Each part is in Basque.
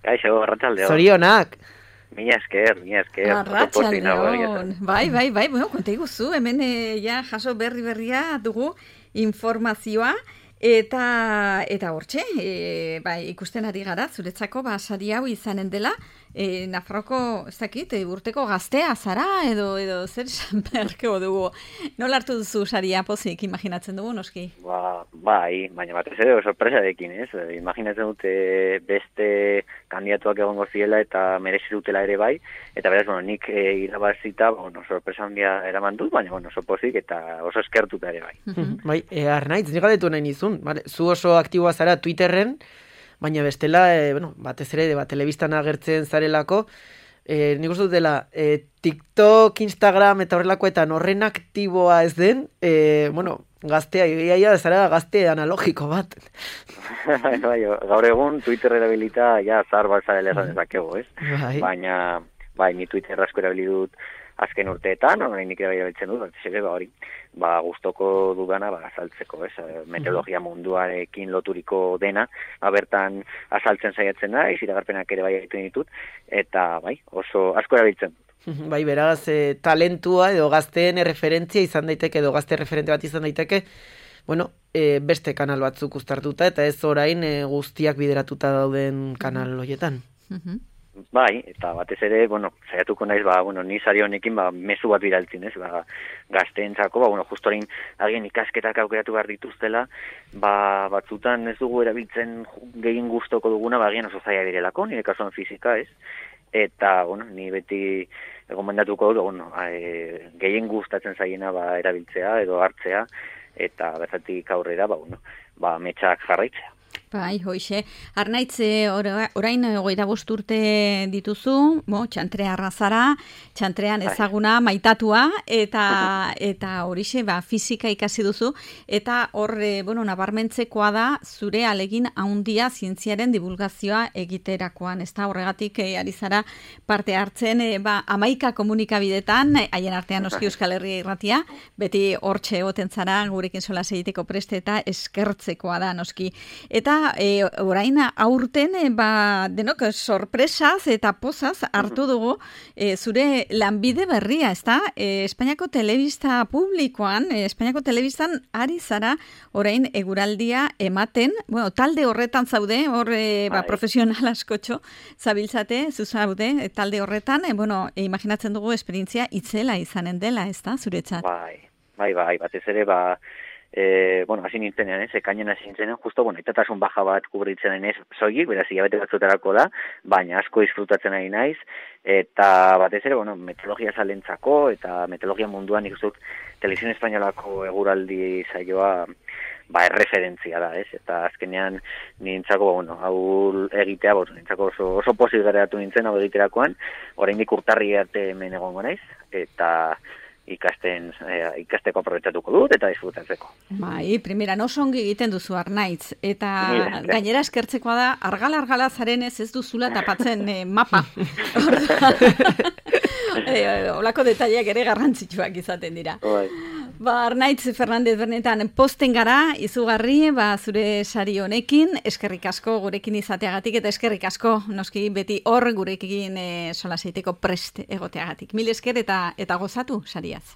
Kaixo, arratsaldeon. Zorionak. Mila esker. Arratsaldeon. Bai, bueno, konta iguzu, hemen ja jaso berria dugu informazioa eta hortxe, bai, ikusten ari gara, zuretzako sari hau izanen dela, Nafarroko, ez dakit, urteko gaztea zara edo zer esan beharko dugu. Nola hartu duzu saria pozik, imaginatzen dugu, noski? Bai, baina batez ere sorpresarekin, ez? Imaginatzen dute beste kandidatuak egongo ziela eta merezi dutela ere bai, eta beraz, nik irabazita, sorpresa handia eraman dut, baina oso pozik eta oso eskertuta ere bai. Bai, Arnaitz, nik galdetu nahi nizun, zu oso aktiboa zara Twitterren, baina bestela, batez ere, telebistan agertzen zarelako, nik uste dutela, TikTok, Instagram eta horrelakoetan horren aktiboa ez den, gaztea, iaia zara gazte analogiko bat. Bai, gaur egun Twitter erabilita, zahar bat zarela esan ezakego, ez? Baina, ni Twitter asko erabili dut azken urteetan, oraindik ere erabiltzen dut, hori, gustoko dudana azaltzeko, ez? Meteorologia munduarekin loturiko dena, bertan azaltzen saiatzen da, iragarpenak ere bai egiten ditut, eta oso asko erabiltzen dut. Bai, beraz, talentua edo gazteen referentzia izan daiteke, edo gazte referente bat izan daiteke, beste kanal batzuk uztartuta, eta ez orain guztiak bideratuta dauden kanal horietan. Bai, eta batez ere, saiatuko naiz, ni sari honekin, mezu bat bidaltzen, ez? Gazteentzako, justo orain agian ikasketak aukeratu behar dituztela, batzutan ez dugu erabiltzen gehien gustoko duguna, agian oso zaila direlako, nire kasuan fizika, ez? Eta, ni beti gomendatuko dut, gehien gustatzen zaiena erabiltzea edo hartzea, eta bertatik aurrera, metxak jarraitzea. Bai, hoixe. Arnaitz, orain 25 urte dituzu, txantrearra zara, txantrean ezaguna, maitatua, eta horixe, fisika ikasi duzu, eta hor, nabarmentzekoa da, zure alegin handia zientziaren divulgazioa egiterakoan, ez da, horregatik ari zara parte hartzen, 11 komunikabidetan, haien artean noski Euskal Herria Irratia, beti hortxe egoten zara, gurekin solas egiteko preste eta eskertzekoa da, noski. Eta orain aurten denok sorpresaz eta pozaz hartu dugu zure lanbide berria, ezta? Espainiako telebista publikoan, Espainiako telebistan ari zara orain eguraldia ematen, talde horretan zaude, hor profesional askotxo zabiltzate, zuzaude, talde horretan, imaginatzen dugu esperientzia itzela izanen dela, ezta, zuretzat? Bai, batez ere, hasi nintzenean, ekainen hasi nintzenean, justo, itatasun baja bat kubritzen ez soilik, beraz, hilabete batzutarako da, baina asko disfrutatzen ari naiz, eta batez ere, meteorologia zalentzako, eta meteorologia munduan ikusut, Televisión Espainolako eguraldi saioa, erreferentzia da, ez? Eta azkenean nintzako, hau egitea, nintzako oso pozik geratu nintzen, hau egiterakoan, oraindik urtarri arte hemen egongo naiz, eta ikasteko aprobetxatuko dut eta disfrutatzeko. Bai, primera, oso ongi egiten duzu Arnaitz, eta gainera eskertzekoa da, argala zarenez ez duzula tapatzen mapa. Olako detaileak ere garrantzitsuak izaten dira. Arnaitz Fernandez Bernetan posten gara, izugarri, zure sari honekin, eskerrik asko gurekin izateagatik, eta eskerrik asko, noski beti hor gurekin solaseiteko prest egoteagatik. Mil esker eta gozatu sariaz.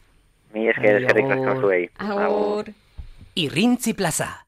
Mil esker, eskerrik asko zuei. Agur. Irrintzi Plaza.